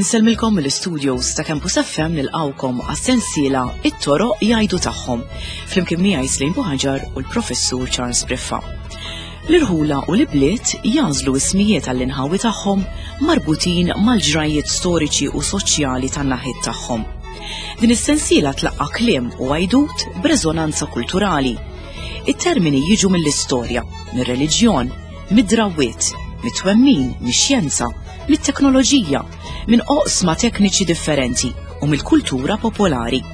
Insellmilkom mill-studios ta' Campus FM nilqawkom għas-sensiela It-toroq jgħidu tagħhom flimkien miegħi Slim Buħaġar u l-Professur Charles Briffa. L-irħula u l-ibliet jagħżlu ismijiet għall-inħawi tagħhom marbutin mal-ġrajjiet storiċi u soċjali tan-naħiet tagħhom. Din is-sensiela tlaqqa' kliem u għajdut b'reżonanza kulturali. It-termini jiġu mill-istorja, mir-reliġjon, mid-drawwiet, mit-twemmin, mix-xjenza, mit-teknoloġija, minn oqsma tekniċi differenti u mill-kultura popolari.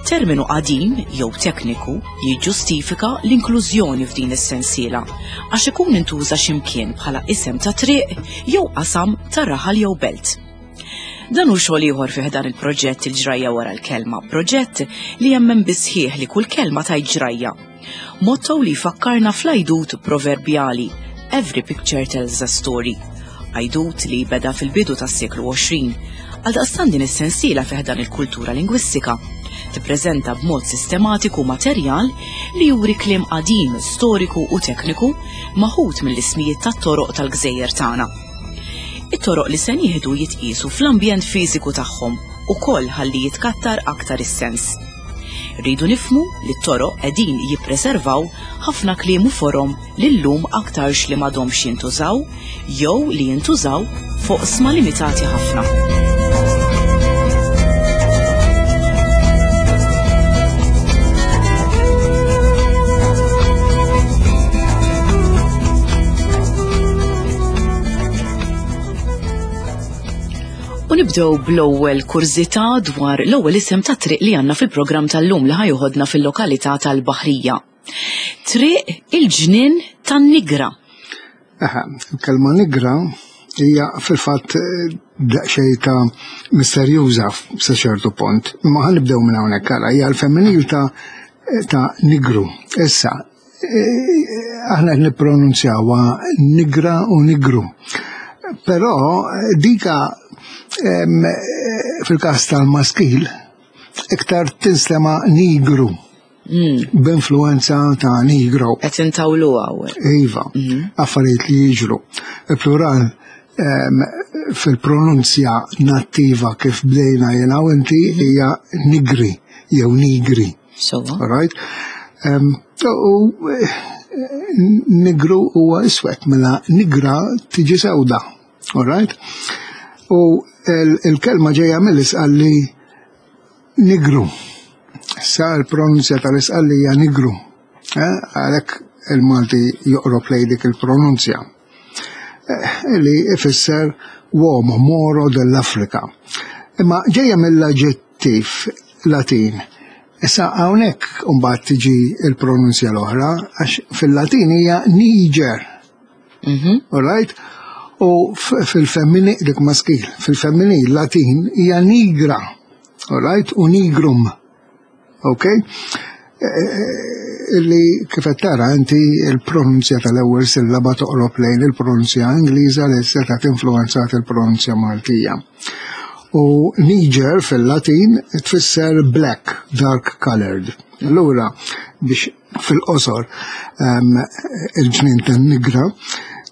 Terminu qadim jew tekniku jiġġustifika l-inklużjoni f'din is-sensiela għax ikun intuża x'imkien bħala isem ta' triq jew qasam ta' raħal jew belt. Dan hu xogħol ieħor fih dan il-proġett il-ġrajja wara l-kelma, proġett li jemmen bisħieħ li kull kelma tajt ġrajja. Motto li jfakkarna fl-għajdut proverbjali Every picture tells a story. Għajdut li beda fil-bidu tas-seklu 20. Għaldaqstant din is-sensiela fih dan il-kultura lingwistika tippreżenta b'mod sistematiku materjal li juri kliem qadim, storiku u tekniku maħud mill-ismijiet tat-toroq tal-gżejjer tagħna. It-toroq li se nieħdu jitqiesu fl-ambjent fiżiku tagħhom ukoll ħalli jitkattar aktar is-sens. Rridu nifhmu li t-toroq qegħdin jippreservaw ħafna kliem u forom li llum aktarx li m'għadhomx jintużaw jew li jintużaw f'oqsma limitati ħafna. U nibdew bl-ewwel kurżità dwar l-ewwel isem ta' triq li għandna fil-programm tal-lum li ħajoħodna fil-lokalità tal-Baħrija. Triq il-ġnien tan-Nigra. Eħe, il-kelma nigra hija fil-fatt eh, daqsxejn ta' misterjuża sa ċertu punt. Imma ħa nibdew minn hawnhekk ara hija l-femminil ta' ta' nigru. Issa, eh, aħna qed nippronunzjawha nigra u nigru. Però dika eh, fil-każ tal-maskil iktar tinstema' nigru. Mm. B'influenza ta' nigro. Qed intawlu hawn. Iva, mhm. affarijiet li jiġru. Il-plural fil-pronunzja nattiva kif bdejna jena u inti mhm. hija nigri jew nigri. So. Right? U eh, nigru huwa iswed, mela nigra tiġi sewda. All right? U il-kelma ġejja mill-isqalli Nigru. Sa l-pronunzja tal-Isqallija nigru. Eh, għalhekk il-Malti joqrob lejn dik il-pronunzja. Eh, li ifisser uomo moro dell'Afrika. Imma ġejja mill-aġġettiv Latin. Issa hawnhekk imbagħad tiġi l-pronunzja l-oħra għax fil-Latin hija Niger. Mhm. All right? U fil-femmini, dik maskil, fil-femminil Latin hija nigra. All right? U nigrum. Ok? E, e, e, illi kif qed tara inti il-pronunzja tal-ewwel sillaba toqrob lejn il-pronunzja Ingliża li setgħet influenzat il-pronunzja Maltija. U Niger fil-Latin tfisser black, dark colored. Allura biex fil-qosor il-ġnien tan-Nigra,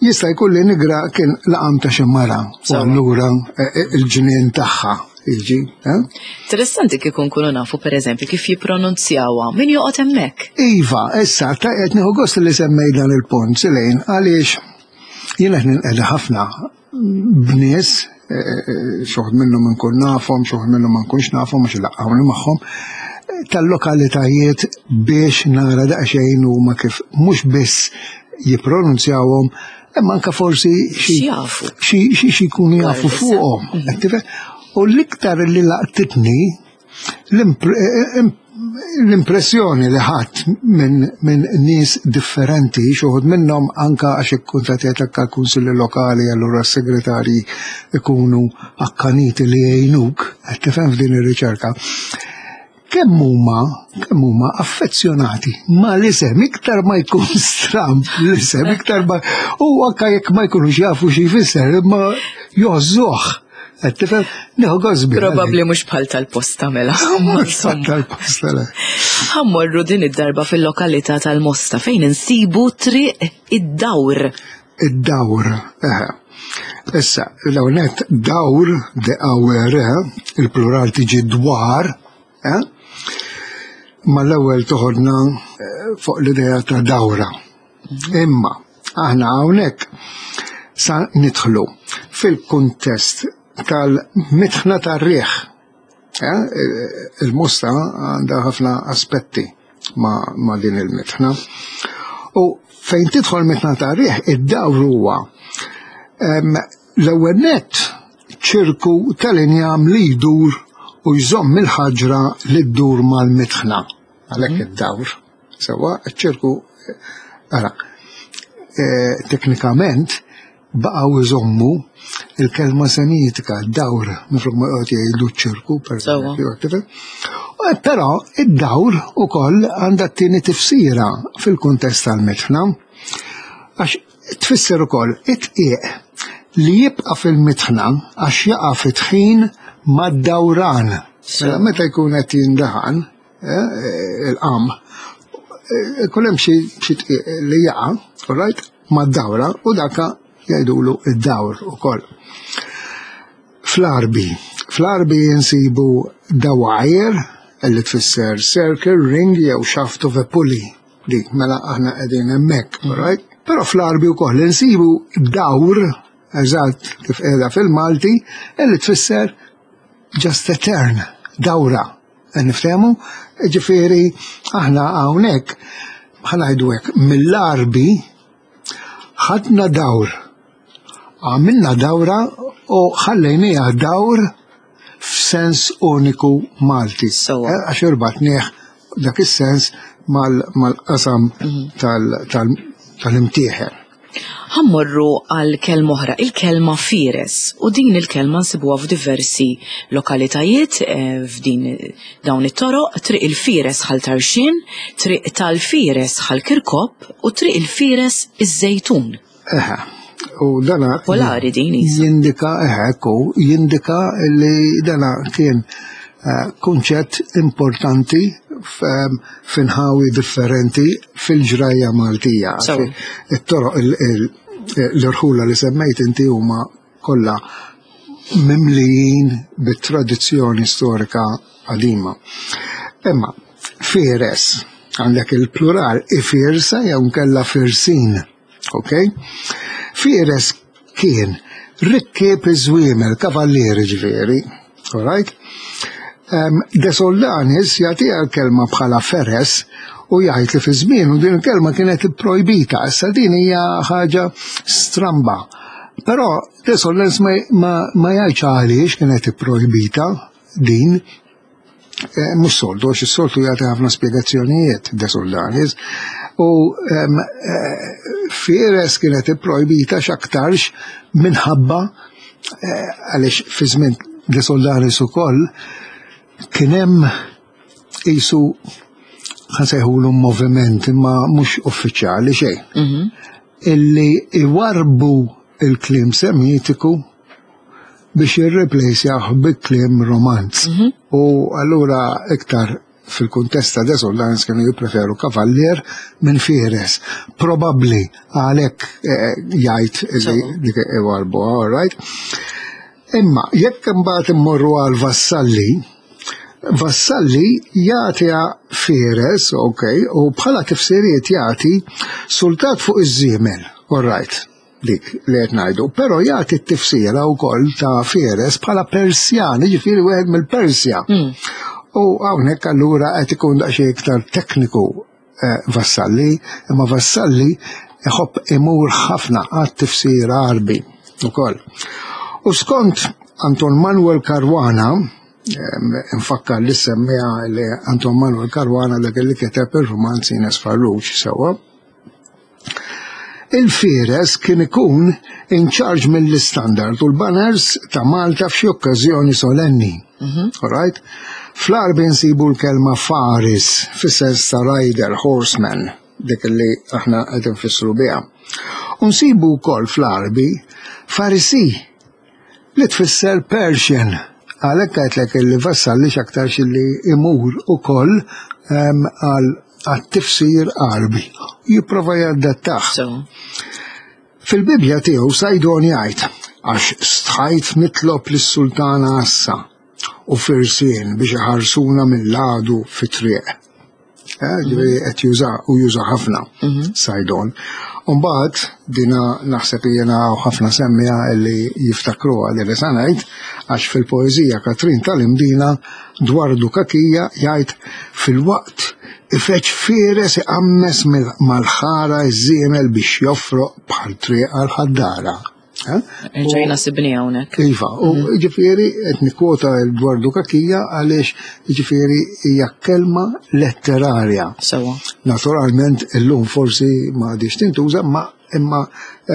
jista' jkun li Nigra kien laqam ta' xi mara u allura e, e, il-ġnien tagħha jiġi. Eh? Interessanti kif nkunu nafu pereżempju kif jippronunzjawha min joqgħod hemmhekk. Iva, issa ta' qed nieħu gost li semmej dan il-punt Silejn għaliex jien qed ninqeda ħafna b'nies, eh, eh, xoħd minnhom nkun nafhom, xoħd minnhom ma nkunx nafhom għax ilaqqawni magħhom, tal-lokalitajiet biex nara daqsxejn huma kif mhux biss jippronunzjawhom, imma anka forsi xi jkunu jafu fuqhom. Mhm. U l-iktar li laqtitni L-impressjoni li ħadd minn min nies differenti, xuħud minnhom anka għax ikkuntatjat anka l-kunsilli lokali allura s-segretarji ikunu akkaniti li jgħinuk, qed tifhem f'din ir-riċerka. Kemm huma kemm huma affezzjonati ma l-isem iktar ma jkun stramb l-isem iktar ma u anka jekk ma jkunux jafu xi jfisser imma jożżuh. Qed tifhem? Nieħu gost biha. Probabbli mhux bħal tal-posta mela. Mhux bħal tal-posta le. Ħammorru din id-darba fil-lokalità tal-Mosta fejn insibu triq id-dawr. Id-dawr, eħe. Issa, l-ewwel dawr, de awr, il-plural tiġi dwar, eh? Ma l-ewwel toħodna eh, fuq l-idea ta' dawra. Imma aħna hawnhekk sa nidħlu fil-kuntest tal-mitħna tar-riħ. Eh, il-mosta għandha ħafna aspetti ma, ma din il-mitħna. U fejn tidħol mitħna tar-riħ, id-dawr huwa l-ewwel nett ċirku tal-injam li jdur u jżomm il-ħaġra li ddur mal-mitħna. Għalhekk mhm. id-dawr. Sewa, ċirku, ara, e, teknikament baqgħu iżommu il-kelma semitika, dawr, minflok ma jgħod jgħidu ċirku, per eżempju. E, però id-dawr ukoll għandha t-tieni tifsira fil-kuntest tal-mitħna, għax tfisser ukoll it-tqiq li jibqa' fil-mitħna għax jaqa' fit-tħin mad-dawran. Mela meta jkun qed jindaħan, Eh, il-qam, eh, ikun hemm xi li jaqa', right, mad-dawra u daka jgħidulu id-dawr ukoll. Fl-Arbi, fl-Arbi jinsibu dawajr li tfisser circle, ring jew shaft of a pulley. Dik mela aħna qegħdin hemmhekk, mm. right? Però fl-Arbi wkoll insibu dawr eżatt kif qiegħda fil-Malti li tfisser just a turn, dawra. Niftehmu? Ġifieri aħna hawnhekk ħanajdu hekk mill-Arbi ħadna dawr. Għamilna dawra u ħallejniha dawr f'sens uniku Malti. Eh, għax irbatnieh dak is-sens mal-qasam mhm. tal-imtieħer. Ħa mmorru għal kelma oħra, il-kelma fieres, u din il-kelma nsibuha f'diversi lokalitajiet eh, f'din dawn it-toroq, Triq il-Fieres Ħal Tarxien, Triq tal-Fieres Ħal Kirkop u Triq il-Fieres iż-Żejtun. Eħe, u dana Popolari din isa. Jindika, eħe, ekku, jindika li dana kien eh, kunċett importanti f'inħawi differenti fil-ġrajja Maltija. It-toroq l-irħula li semmejt inti huma kollha mimlijin bit-tradizzjoni storika qadima. Imma fieres għandek il-plural ifirsa jew nkella firsin. Ok? Fieres kien rikkieb iż-żwiemel, kavallieri ġifieri. Alright? Um, De Soldanis jagħtiha l-kelma bħala feres u jgħid li fi żmienu din il-kelma kienet ipprojbita, issa din hija ħaġa stramba. Però De Soldanis ma, ma, ma jgħidx għaliex kienet ipprojbita din, Eh, mhux soltu, għax is-soltu jagħti ħafna spjegazzjonijiet De Soldanis. U eh, Fieres kienet ipprojbita x'aktarx minħabba eh, għaliex fi żmien De Soldanis ukoll kien hemm qisu ħansejħulu moviment imma mhux uffiċjali xejn. Mhm. Illi iwarbu il-kliem semitiku biex jirreplejsjah bi kliem romanz. Mhm. U allura iktar fil-kuntest ta' Desolans kienu jippreferu kavallier minn Fieres. Probabbli għalhekk eh, jgħid li dik iwarbu, all right? Imma jekk imbagħad immorru għal Vassalli, Vassalli jagħtiha Fieres, ok, u bħala tifsiriet jagħti sultat fuq iż-żiemel, all right dik li qed ngħidu, però jagħti t-tifsira wkoll ta' Fieres bħala Persjan, jiġifieri wieħed mill-Persja. Hmm. U hawnhekk allura qed ikun daqsxejn iktar tekniku eh, Vassalli, imma Vassalli iħobb imur ħafna għat tifsira Għarbi ukoll. U skont Anton Manuel Caruana, nfakkar li semmija li Anton Manuel Caruana dak li kiteb ir-romanz Ines Farrugia sewwa. Il-Fieres kien ikun in charge mill-istandard u l-banners ta' Malta f'xi okkażjoni solenni. Mhm. All right? Fl-Għarbi nsibu l-kelma Faris fis-sens ta' rider, horseman, dik li aħna qed nfissru biha. U nsibu wkoll fl-Għarbi Farisi. li tfisser Persian. Għalhekk għedtlek li Vassalli x'aktarx li imur ukoll għal għat-tifsir Għarbi. Jipprova jadattah. Fil-Bibbja tiegħu Sajdon jgħid għax stħajt nitlob lis-sultana Assa u firsien biex iħarsuna mill-għadu fit-triq. Eh, ġifieri qed juża u juża ħafna mhm. Sajdon. Umbagħad dina naħseb jiena ħafna semmija li jiftakruha li li ngħid għax fil-poeżija Katrin tal-Imdina dwar Dukakija jgħid fil-waqt ifeċ fieres iqammes mal-ħara iż-żiemel biex joffroq bħal triq għal ħaddara. Eh? Ġejna sibni hawnhekk. Iva, u mhm. ġifieri qed nikkwota l-Dwardu Kakija għaliex ġifieri hija kelma letterarja. Sewa. Naturalment illum forsi ma għadix tintuża, ma imma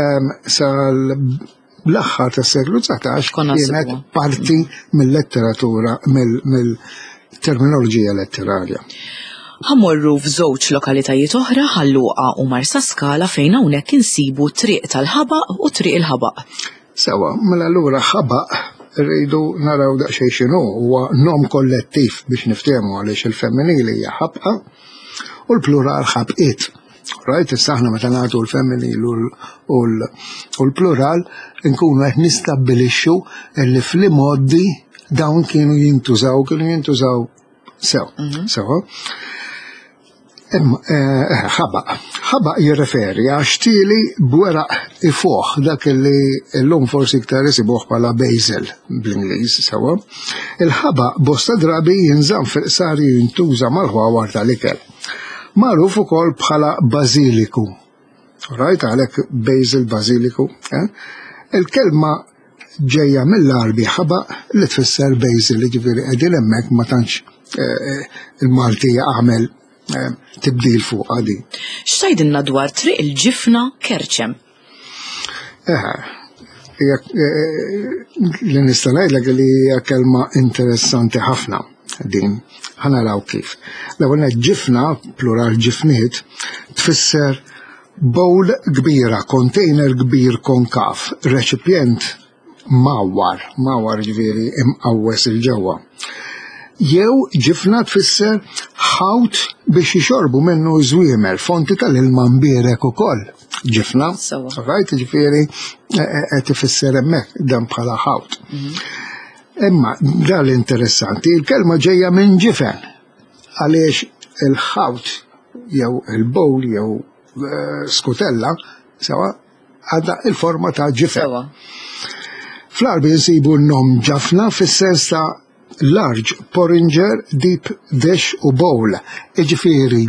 ehm, sal l-aħħar tas-seklu 19 kienet parti mill-letteratura, mill-terminoloġija letterarja. Ħa mmorru f'żewġ lokalitajiet oħra, Ħal Luqa u Marsaskala fejn hawnhekk insibu Triq tal-Ħabaq u Triq il-Ħabaq. Sewwa, mela allura ħabaq rridu naraw daqsxejn x'inhu, huwa nom kollettiv biex niftehmu għaliex il-femminili hija ħabqa u l-plural ħabqiet. Right, issa aħna meta nagħtu l-femminil u l-plural nkunu qed nistabbilixxu li fl-imgħoddi dawn kienu jintużaw, kienu jintużaw Sew, mhm. sew. Eh, ħabaq. Ħabaq jirreferi għax tili bweraq ifuħ dak li l-lum forsi iktar isibuh bħala basil bl-Ingliż sewa. Il-ħabaq bosta drabi jinżamm fil-qsar jintuża mal-ħwawar tal-ikel. Magħruf ukoll bħala bażiliku. Right, għalhekk basil, bażiliku. Eh? Il-kelma ġejja mill-Għarbi ħabaq li tfisser basil, jiġifieri qegħdin hemmhekk ma tantx eh, eh, il-Malti għamel eh, tibdil fuq din. X'tgħidilna dwar Triq il-Ġifna Kerċem? Li nista' ngħidlek li hija kelma interessanti ħafna din. Ħa naraw kif. L-ewwel ġifna, plural ġifniet, tfisser Bowl kbira, container kbir konkav, reċipjent mgħawwar, mgħawwar jiġifieri imqawwes 'il ġewwa. Jew ġifna tfisser ħawt biex jixorbu minnu ż-żwiemel, fonti tal-ilma mbierek ukoll. Ġifna, right, jiġifieri e, e, qed ifisser hemmhekk dan bħala ħawt. Mhm. Imma dan l-interessanti, il-kelma ġejja minn ġifen. Għaliex il-ħawt jew il-bowl jew eh, skutella sewa għadha il-forma ta' ġifen. Fl-Għarbi nsibu n-nom ġafna fis-sens ta' large porringer deep dish u bowl. Iġifieri,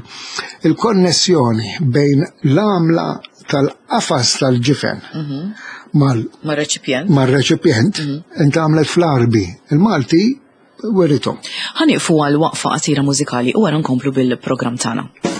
il-konnessjoni bejn l-għamla tal-qafas tal-ġifen mhm. mal-reċipjent mal-reċipjent mhm. intgħamlet fl-Għarbi. Il-Malti Werithom. Ħa nieqfu għal waqfa qasira mużikali u wara nkomplu bil-programm tagħna.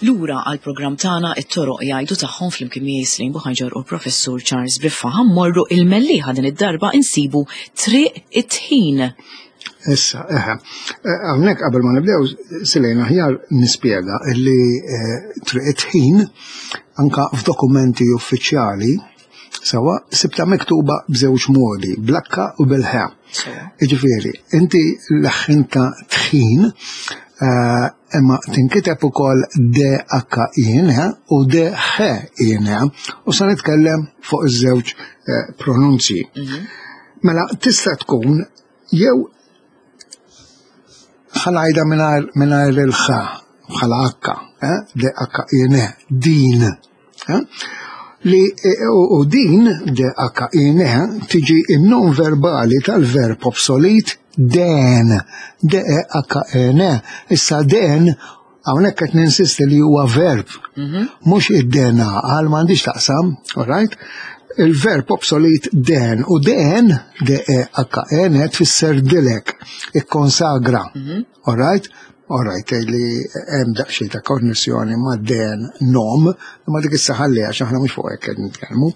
Lura għall-programm tagħna it-toroq jgħidu tagħhom flimkien miegħi Slim Buħaġar u l-Professur Charles Briffa. Ħammorru il-Mellieħa din id-darba insibu Triq it-Tħin. Issa, eħe. Eh, hawnhekk qabel ma nibdew silejn aħjar nispjega illi eh, Triq it-Tħin anka f'dokumenti uffiċjali Sawa, sibta miktuba b'żewġ modi, blakka u bil-ħe. Iġifieri, inti leħħinta tħin, eh, imma tinkiteb ukoll D-H-I-N u D-H-I-N u sa nitkellem fuq iż-żewġ eh, pronunzji. Mhm. Mela, tista' tkun jew ħanajda mingħajr il-ħa bħala H, eh, D-H-I-N, din. Eh? Li eh, u din D-H-I-N tiġi in-non verbali tal-verb obsolit den, D-E-H-N. Issa den hawnhekk qed ninsisti li huwa verb, mhm. mhux id-dena għal m'għandix taqsam, all right? Il-verb obsolit den u den, D-E-H-N, tfisser dilek, ikkonsagra, mhm. all right? All right, li hemm daqsxejn ta' konnessjoni ma' den nom, ma dik issa ħalli għax aħna mhux fuq hekk qed nitkellmu.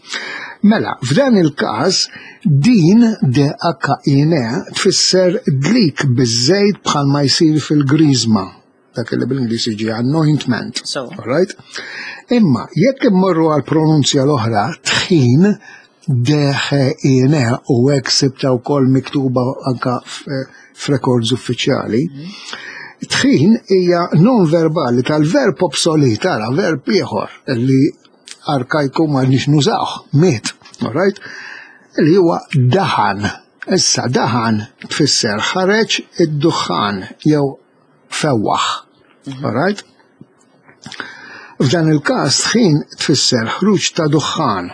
Mela, f'dan il-każ din D-H-I-N e tfisser dlik biż-żejt bħalma jsir fil-griżma dak li bil-Ingliż jiġi anointment. So. All right? Imma jekk immorru għal pronunzja l-oħra tħin D-H-I-N-E u hekk sibta wkoll miktuba anka f'rekords uffiċjali. Tħin hija non verbali tal-verb obsolit, ara verb ieħor li arkajku ma nix nużawh, miet, all right? Li huwa daħan. Issa daħan tfisser ħareġ id-duħħan jew fewwaħ. Mhm. All right? F'dan il-każ tħin tfisser ħruġ ta' duħħan,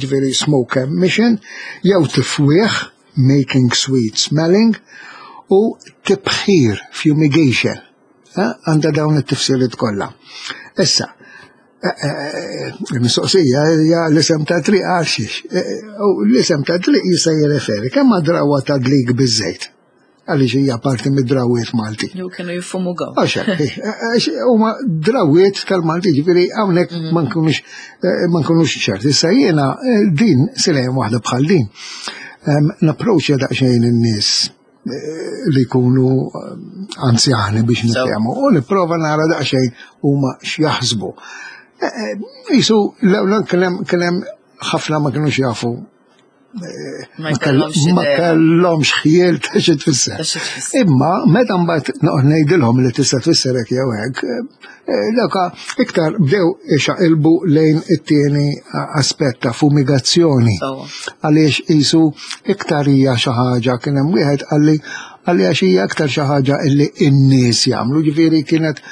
ġifieri smoke emission, jew tifwieħ, making sweet smelling, u tibħir, fumigation. Eh, għandha dawn it-tifsiriet kollha. Issa, eh, eh, il-mistoqsija hija l-isem ta' triq għal xiex. L-isem ta' triq jista' jirreferi kemm drawa ta' dlik biż-żejt għaliex hija parti mid-drawiet Malti. Jew kienu jifumu gaw. Għax, huma drawiet tal-Malti, ġifieri hawnhekk mhm. ma nkunux eh, ma nkunux ċerti. Issa jiena eh, din silejn waħda bħal din. Napproċċja daqsxejn in-nies eh, li jkunu anzjani biex nitkellmu u nipprova nara daqsxejn huma x'jaħsbu. Isu l-ewwel kien hemm ħafna ma kinux jafu Ma kellhomx ħjiel ta' xi tfisser. Imma meta mbagħad noqgħod ngħidilhom li tista' tfisser hekk jew hekk, eh, dawka iktar bdew ixaqilbu lejn it-tieni aspett ta' fumigazzjoni. Għaliex qisu iktar hija xi ħaġa kien hemm wieħed qalli għalli għax hija aktar xi ħaġa illi n-nies jagħmlu, ġifieri kienet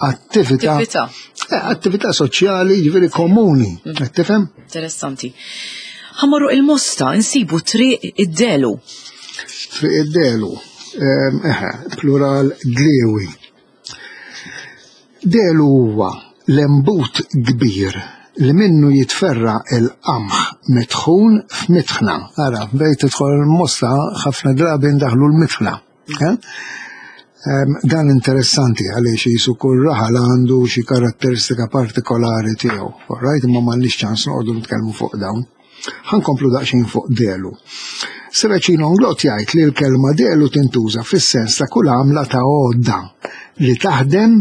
attività. Attività. Eh, attività soċjali, ġifieri komuni, mm. qed tifhem? Interessanti. Ħamorru il-Mosta nsibu triq id-delu. Triq id-delu, ehm, eħe, plural dlewi. Delu huwa l-embut kbir li minnu jitferra il-qamħ mitħun f'mitħna. Ara, bejt tidħol il-mosta ħafna drabi ndaħlu l-mitħna. Eh? Dan interessanti għaliex jisu kull raħal għandu xi karatteristika partikolari tiegħu. Right, imma m'għandniex ċans noqogħdu nitkellmu fuq dawn. Ħankomplu daqsxejn fuq delu. Seracino Nglot jgħid li l-kelma delu tintuża fis-sens ta' kull għamla ta' għodda li taħdem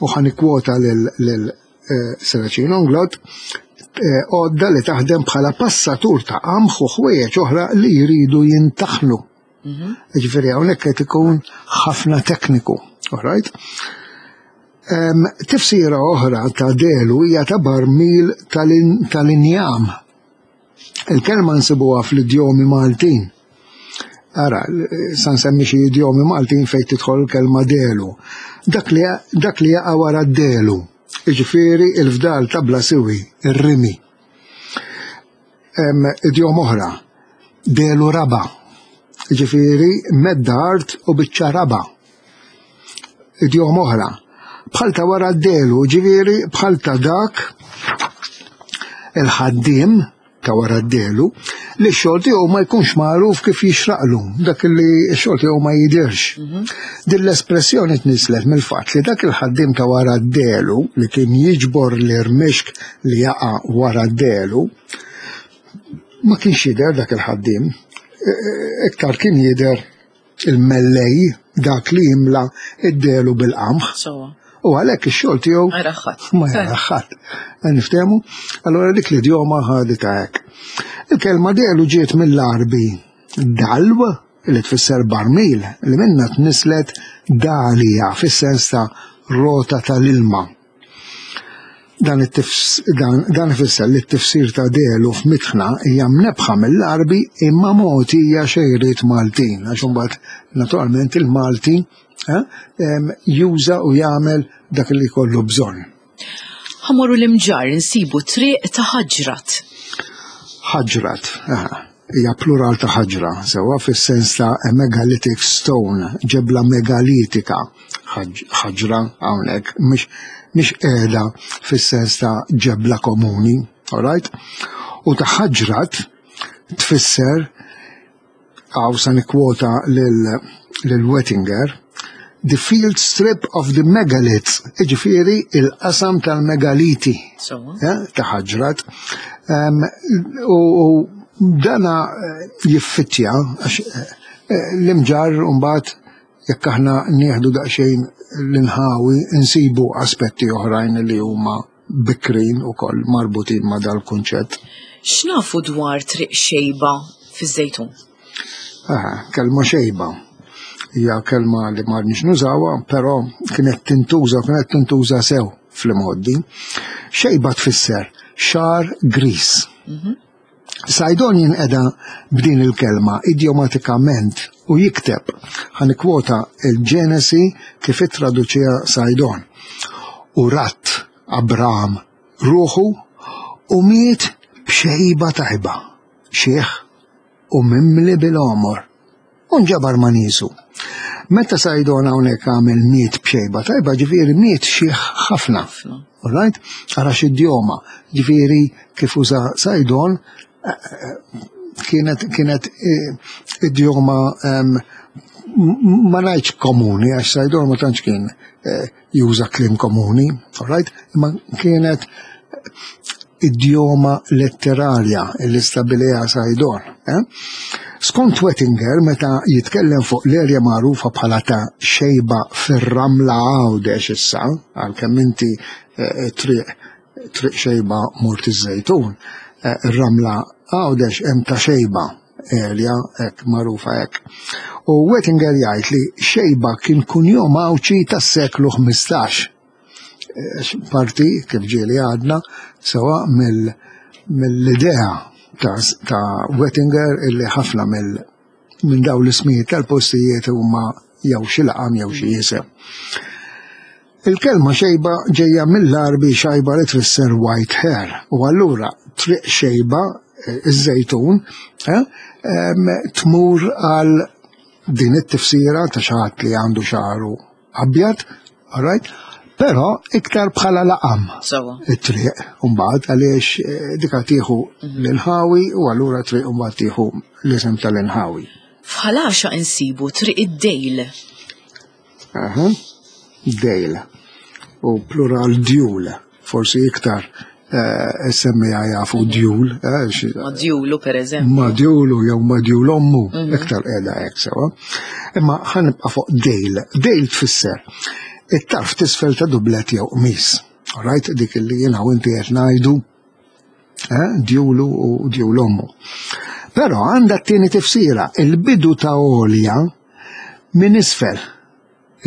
u ħanikwota lil eh, Seracino Nglot eh, għodda li taħdem bħala passatur ta' qamħ u ħwejjeġ oħra li jridu jintaħnu. Mhm. Ġifieri hawnhekk qed ikun ħafna tekniku, all right? Um, tifsira oħra ta' delu hija ta' barmil tal-injam. Il-kelma nsibuha fl-idjomi Maltin. Ara, sa nsemmi xi idjomi Maltin fejn tidħol il-kelma delu. Dak li dak li jaqa' wara d-delu, jiġifieri il-fdal ta' bla siwi, ir-rimi. Idjom oħra, delu raba, ġifieri medda art u biċċa raba. Idjom oħra, bħal ta' wara d-delu, ġifieri bħal ta' dak il-ħaddiem ta' wara d-delu. Li x-xogħol tiegħu ma jkunx magħruf kif jixraqlu, dak li x-xogħol tiegħu ma jidirx. Mhm. Din l-espressjoni tnislet mill-fatt li dak il-ħaddiem ta' wara d-delu li kien jiġbor l-irmixk li jaqa' wara d-delu ma kienx jidher dak il-ħaddiem, e, e, iktar kien jidher il-mellej dak li jimla id-delu bil-qamħ. U għalhekk ix-xogħol tiegħu ma jaraħħat. Niftehmu? Allora dik l-idjoma ħaditha hekk. Il-kelma delu ġiet mill-Arbi dalw li tfisser barmil li minna tnislet dalija fis-sens ta' rota tal-ilma. Dan, dan, dan ifisser li t-tifsir ta' delu f'mitħna hija mnebbħa mill-Għarbi imma mogħtija xejriet Maltin, għax imbagħad naturalment il-Malti eh, juża u jagħmel dak li jkollu bżonn. Ħamorru l-imġar insibu triq ta' ħaġrat. Ħaġrat, hija plural ta' ħaġra, sewwa fis-sens ta' a megalithic stone, ġebla megalitika, ħaġra hawnhekk, mhix mhix qiegħda fis-sens ta' ġebla komuni, alright? U ta' ħaġrat tfisser Hawn sa nikkwota lil Wettinger, the field strip of the megaliths, iġifieri il-qasam tal-megaliti eh, ta' ħaġrat. U dana eh, jiffittja għax eh, l-imġar mbagħad jekk aħna nieħdu daqsxejn l-inħawi insibu aspetti oħrajn li huma bikrin ukoll marbutin ma' dal-kunċett. X'nafu dwar Triq Xejba fiż-Żejtun? Aha, kelma xejba. Hija kelma li ma rridx nużawha, però kienet tintuża, kienet tintuża sew fl-imgħoddi. Xejba tfisser xagħar gris. Mhm. Sajdon jinqeda b'din il-kelma idjomatikament u jikteb, ħa nikkwota il-Ġenesi kif ittraduċiha Sajdon, U radd Abram ruħu u miet b'xejba tajba, xiħ u mimli bil-għomor. U nġabar ma' niesu. Meta Sajdon hawnhekk għamel miet b'xejba tajba, ġifieri miet xiħ ħafna. All right? Ara x'idjoma. Ġifieri kif uża Sajdon eh, eh, kienet kienet eh, idjoma ehm, ma ngħidx komuni għax Sajdon ma tantx kien juża kliem komuni, all right? Imma kienet idjoma letterarja li stabiliha Sajdon. Eh? Skont Wettinger, meta jitkellem fuq l-erja magħrufa bħala ta' xejba fir-ramla Għawdex issa, għalkemm inti eh, triq triq xejba mort iż-żejtun, eh, ir-ramla Għawdex hemm ta' xejba erja hekk magħrufa hekk. U Wettinger jgħid li xejba kien kunjom Għawdxi tas-seklu 15. Parti, kif ġieli għadna, sewa mill-idea ta', ta Wettinger illi ħafna mill minn dawn l-ismijiet tal-postijiet huma jew xi laqam jew xi isem. Il-kelma xejba ġejja mill-Għarbi xajba li tfisser white hair u allura triq xejba eh, iż-żejtun eh, tmur għal din it-tifsira ta' xi ħadd li għandu xagħru abjad, alright? Però iktar bħala laqam. It-triq mbagħad għaliex eh, dika tieħu mhm. l-inħawi u allura triq mbagħad tieħu l-isem tal-inħawi. F'Ħal Għaxaq insibu triq id-Dejl. Aha, dejl. U plural djul, forsi iktar eh, semmija jafu djul. Eh, ma djulu per eżempju. Ma djulu jew ma djul ommu, mhm. iktar qiegħda hekk sewa. Imma ħanibqa' fuq dejl. Dejl tfisser it-tarf tisfel ta' dublet jew qmis. Alright, dik li jiena u inti qed ngħidu eh, djulu u djul ommu. Però għandha t-tieni tifsira, il-bidu ta' għolja minn isfel.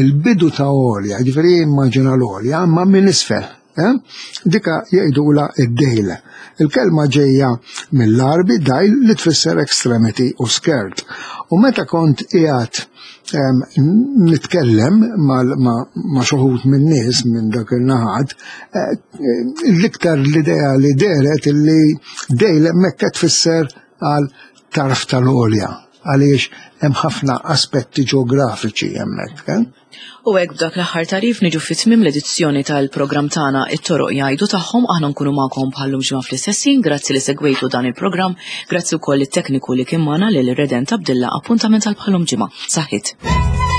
Il-bidu ta' għolja, ġifieri immaġina l-għolja, ma minn isfel. Eh? Dika jgħidula id-dejl. Il-kelma ġejja mill-Għarbi dajl li tfisser extremity u skirt. U meta kont qiegħed nitkellem ma' xuħut minn nies minn dak il-naħat, eh, l-iktar l-idea li deret li dejl hemmhekk tfisser għal tarf tal-għolja. Għaliex hemm ħafna aspetti ġeografiċi hemmhekk. Eh? U hekk b'dak l-aħħar tarif niġu fi tmiem l-edizzjoni tal-programm tagħna It-Toroq Jgħidu Tagħhom. Aħna nkunu magħkom bħallum ġimgħa fl-istess ħin. Grazzi li segwejtu dan il-programm. Grazzi wkoll it-tekniku li kien magħna lil Redent Abdilla. Appuntament għal bħallum ġimgħa. Saħħit.